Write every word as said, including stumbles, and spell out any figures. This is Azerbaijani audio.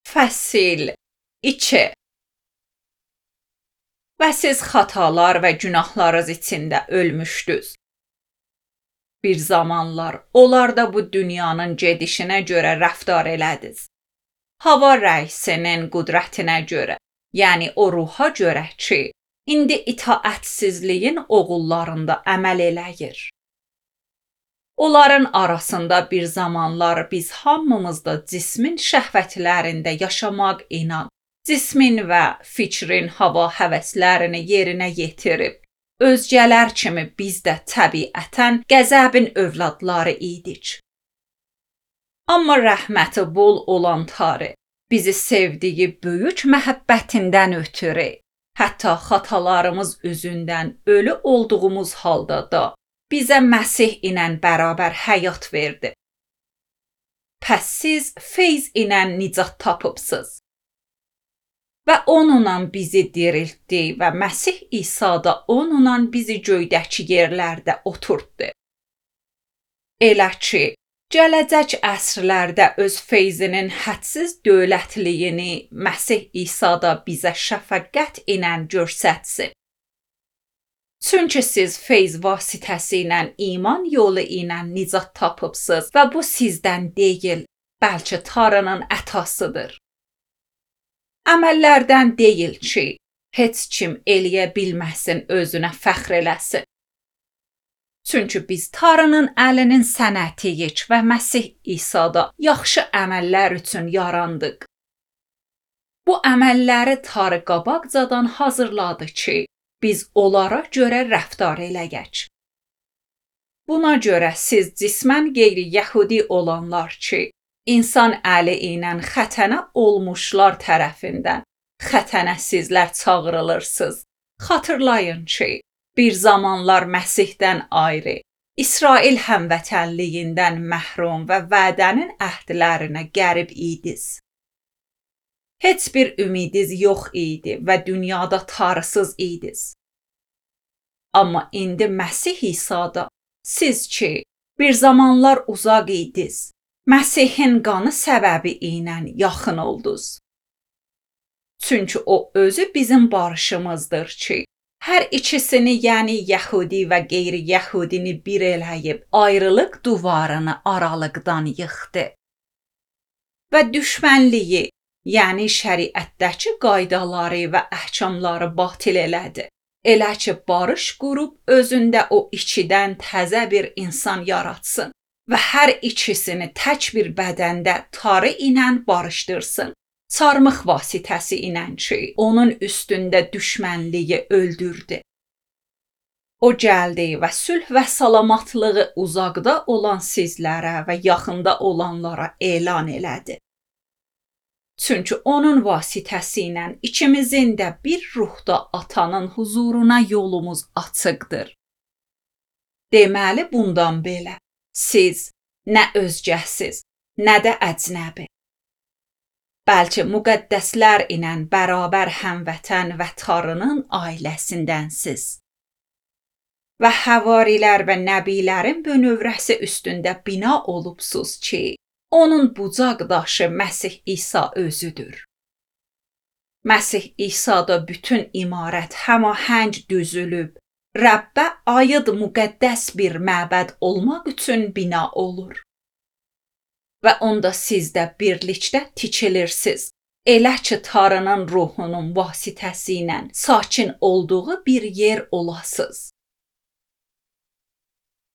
Fəsil iki. Və siz xatalar və günahlarınız içində ölmüşdünüz. Bir zamanlar onlar da bu dünyanın gedişinə görə rəftar elədiniz. Hava rəisinin qüdrətinə görə, yəni o ruha görə ki, indi itaətsizliyin oğullarında əməl eləyir. Onların arasında bir zamanlar biz hamımız da cismin şəhvətlərində yaşamaq inan, cismin və fikrin hava həvəslərini yerinə yetirib, özgələr kimi biz də təbiətən qəzəbin övladları idik. Amma rəhməti bol olan Tanrı bizi sevdiyi böyük məhəbbətindən ötürü, hətta xatalarımız üzündən ölü olduğumuz halda da bizə Məsih ilə bərabər həyat verdi. Pəs siz feyz ilə nicat tapıbsınız. Və onunla bizi diriltdi və Məsih İsa da onunla bizi göydəki yerlərdə oturtdu. Elə ki, gələcək əsrlərdə öz feyzinin hədsiz dövlətliyini Məsih İsa da bizə şəfəqət ilə göstərsin. Çünki siz feyz vasitəsi ilə iman yolu ilə nicat tapıbsınız və bu sizdən deyil, bəlkə Tanrının ətasıdır. Əməllərdən deyil ki, heç kim eləyə bilməsin, özünə fəxr eləsin. Çünki biz Tanrının əlinin sənətiyik və Məsih İsa'da yaxşı əməllər üçün yarandıq. Bu əməlləri Tanrı qabaqcadan hazırladı ki, biz onlara görə rəftar eləyək. Buna görə siz cismən qeyri-yəhudi olanlar ki, insan əli ilə xətənə olmuşlar tərəfindən xətənə sizlər çağırılırsınız. Xatırlayın ki, bir zamanlar Məsihdən ayrı, İsrail həmvətənliyindən məhrum və vədənin əhdlərinə qərib idiniz. Heç bir ümidiz yox idi və dünyada Tanrısız idiniz. Amma indi Məsih İsa'da siz ki, bir zamanlar uzaq idiniz, Məsihin qanı səbəbi ilə yaxın oldunuz. Çünki o özü bizim barışımızdır ki, hər ikisini, yəni Yəhudi və qeyri-Yəhudini bir eləyib, ayrılıq divarını aralıqdan yıxdı. Və düşmənliyi, yəni şəriətdəki qaydaları və əhkamları batil elədi. Elə ki, barış qurub özündə o ikidən təzə bir insan yaratsın və hər ikisini tək bir bədəndə Tanrı ilə barışdırsın. Çarmıx vasitəsi ilə ki, onun üstündə düşmənliyi öldürdü. O gəldi və sülh və salamatlığı uzaqda olan sizlərə və yaxında olanlara elan elədi. Çünki onun vasitəsi ilə ikimizin də bir ruhda atanın huzuruna yolumuz açıqdır. Deməli bundan belə, siz nə özgəsiz, nə də əcnəbi. Bəlkə müqəddəslər ilə bərabər həmvətən və Tanrının ailəsindənsiz. Və həvarilər və nəbilərin bünövrəsi üstündə bina olubsuz ki, onun bucaq daşı Məsih İsa özüdür. Məsih İsa'da bütün imarət həmahəng düzülüb, Rəbbə aid müqəddəs bir məbəd olmaq üçün bina olur. Və onda siz də birlikdə tikilirsiniz, elə ki, Tanrının ruhunun vasitəsi ilə sakin olduğu bir yer olasınız.